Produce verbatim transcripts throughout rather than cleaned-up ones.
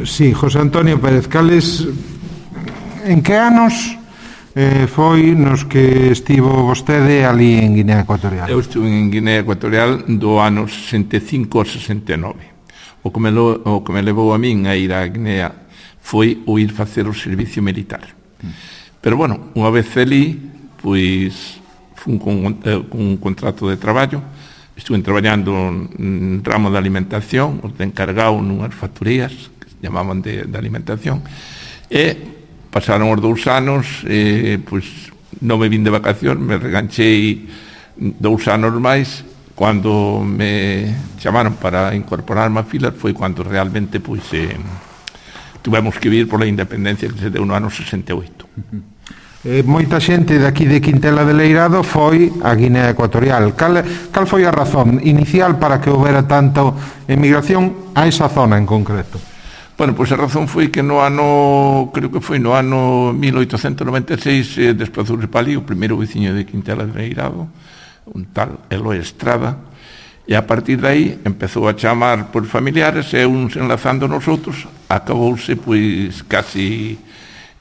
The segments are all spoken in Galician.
Sí, José Antonio Pérez, cales, en que anos eh, foi nos que estivo vostede ali en Guinea Ecuatorial? Eu estuve en Guinea Ecuatorial do ano sesenta e cinco ao sesenta e nove. O que me, lo, o que me levou a min a ir a Guinea foi o ir facer o servicio militar. Mm. Pero, bueno, unha vez ali, pois, fun con un contrato de traballo. Estuve traballando en ramo de alimentación, os de encargado nunhas factorías que se llamaban de, de alimentación, e pasaron os dous anos, e, pois, non me vin de vacación, me reganchei dous anos máis. Cando me chamaron para incorporarme a filas foi cando realmente, pois, eh, tuvemos que vir pola independencia que se deu no ano sesenta e oito. Uh-huh. Eh, moita xente daqui de Quintela de Leirado foi a Guinea Ecuatorial. Cal, cal foi a razón inicial para que houbera tanta emigración a esa zona en concreto? Bueno, pois a razón foi que no ano, creo que foi no ano mil oitocentos noventa e seis, eh, desplazouse para ali o primeiro veciño de Quintela de Leirado, un tal Eloy Estrada, e a partir de aí empezou a chamar por familiares e uns enlazando nos outros, acabouse pois casi...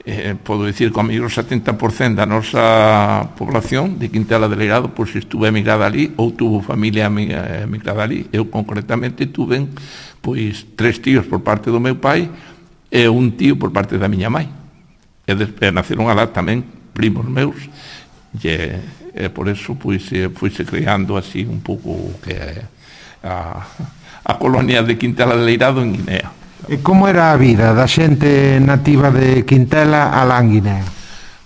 Eh, podo dicir que ao mellor setenta por cento da nosa población de Quintela de Leirado pois estuve emigrada ali ou tuvo familia emigrada ali. Eu concretamente tuve pois tres tíos por parte do meu pai e un tío por parte da miña mãe, e despois naceron alá tamén primos meus, e, e por eso pois foise creando así un pouco que a, a colonia de Quintela de Leirado en Guinea. E como era a vida da xente nativa de Quintela alá en Guinea?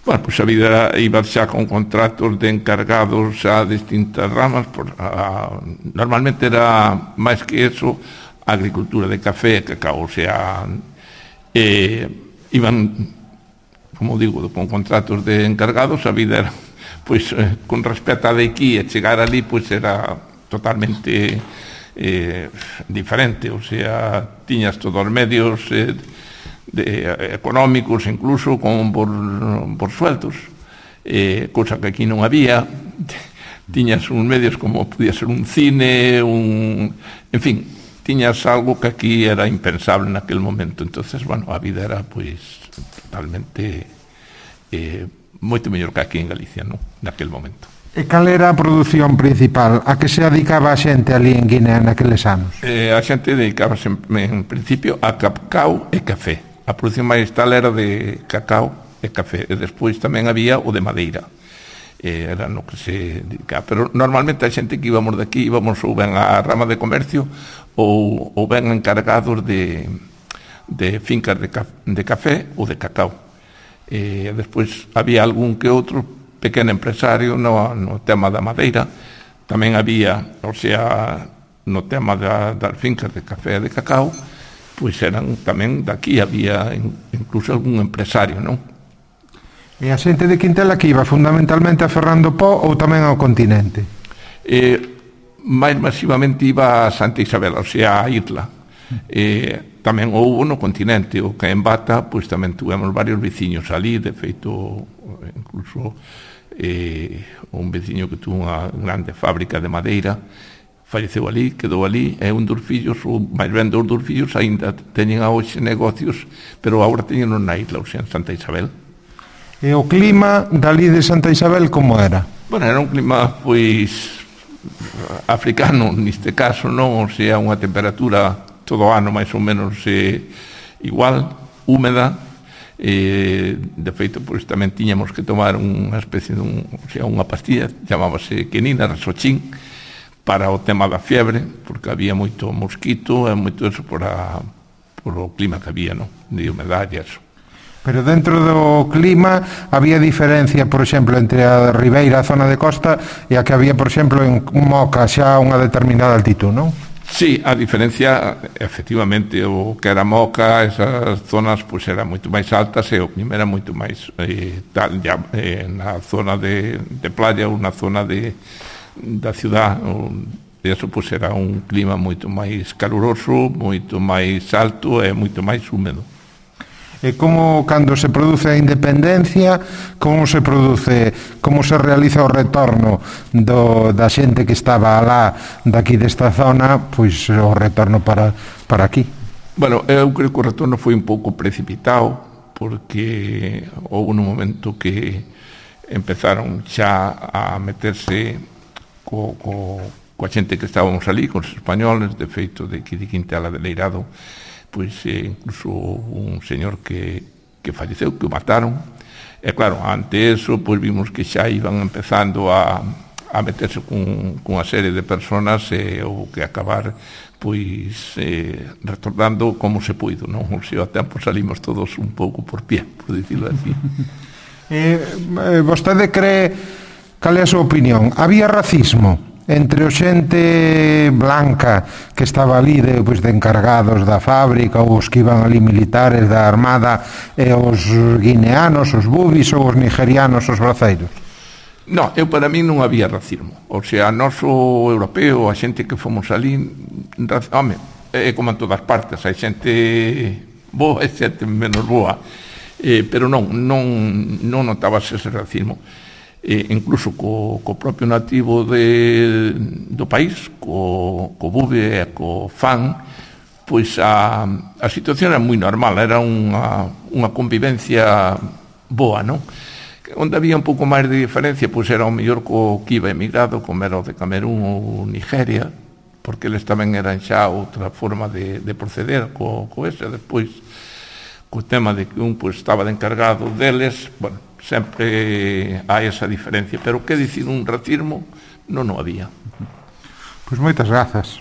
Bueno, pois a vida era, iba xa con contratos de encargados a distintas ramas, por, a, normalmente era máis que eso, agricultura de café, cacao, o sea, eh, iban, como digo, con contratos de encargados, a vida era, pois, eh, con respecto a de aquí, e chegar ali, pois era totalmente... Eh, diferente, o sea, tiñas todos os medios eh, de, eh, económicos, incluso con por, por sueldos, eh, cosa que aquí non había. Tiñas uns medios como podía ser un cine, un, en fin, tiñas algo que aquí era impensable naquel momento. Entonces, bueno, a vida era pois totalmente eh, moito mellor que aquí en Galicia, non? Naquel momento. E cal era a produción principal? A que se dedicaba a xente ali en Guinea naqueles anos? Eh, a xente dedicábase en, en principio a cacao e café. A produción máis tal era de cacao e café. E despois tamén había o de madeira. Eh, era no que se dedicaba. Pero normalmente a xente que íbamos de aquí íbamos ou ben a rama de comercio ou, ou ben encargados de, de fincas de, ca, de café ou de cacao. Eh, despois había algún que outro pequeno empresario no, no tema da madeira. Tamén había, o sea, no tema da, das fincas de café e de cacao, pois eran tamén daqui, había incluso algún empresario, non? E a xente de Quintela que iba fundamentalmente a Ferrando Pó ou tamén ao continente? Eh, máis masivamente iba a Santa Isabel, o sea, a isla. Eh, tamén houve no continente, o que en Bata, pois tamén tuvemos varios veciños ali, de feito, incluso... Eh, un veciño que tuvo unha grande fábrica de madeira falleceu ali, quedou ali, e un dos fillos, ou máis ben dos dos fillos aínda teñen a hoxe negocios, pero agora teñen na isla, ou sea, en Santa Isabel. E o clima dali de Santa Isabel como era? Bueno, era un clima pois africano neste caso, non? O sea, unha temperatura todo o ano máis ou menos eh, igual, húmeda. Eh, de feito, pois tamén tiñamos que tomar unha especie de un, o sea, unha pastilla, chamábase quinina, rasochín, para o tema da fiebre, porque había moito mosquito e moito eso por, a, por o clima que había, non? De humedade e eso. Pero dentro do clima había diferencia, por exemplo, entre a ribeira, a zona de costa, e a que había, por exemplo, en Moca, xa a unha determinada altitud, non? Sí, a diferencia, efectivamente, o que era Moca, esas zonas pois eran moito máis altas e o clima era moito máis eh, tal, ya, eh, na zona de, de playa ou na zona de, da ciudad, o, eso pois era un clima moito máis caluroso, moito máis alto e moito máis húmedo. E como, cando se produce a independencia, como se produce, como se realiza o retorno do, da xente que estaba alá daqui desta zona, pois o retorno para, para aquí? Bueno, eu creo que o retorno foi un pouco precipitado, porque houve un momento que empezaron xa a meterse co, co, coa xente que estábamos ali, con os españoles, de feito de que de Quintela de Leirado, pois eh, incluso un señor que, que falleceu, que o mataron. E claro, ante eso, pois vimos que xa iban empezando a, a meterse con, con a serie de personas e houve que acabar pois eh, retornando como se puido, non? O sea, a tempo salimos todos un pouco por pie, por dicirlo así. Eh, vostede cree, cal é a súa opinión? Había racismo entre o xente blanca que estaba ali de, pues, de encargados da fábrica ou os que iban ali militares da armada e os guineanos, os bubis ou os nigerianos, os braceiros? No, eu para mí non había racismo. O sea, noso europeo, a xente que fomos ali, home, é como en todas partes, hai xente boa e xente menos boa, eh, pero non, non, non notabas ese racismo. Eh, incluso co, co propio nativo de, do país, co, co bube e co fan, pois a, a situación era moi normal, era unha, unha convivencia boa, non? Onde había un pouco máis de diferencia, pois era o mellor co que iba emigrado, como era o de Camerún ou Nigeria, porque eles tamén eran xa outra forma de, de proceder co, co ese. Despois, co tema de que un pois, estaba de encargado deles, bueno, sempre hai esa diferencia, pero que dicir un racismo non o había. Pois moitas grazas.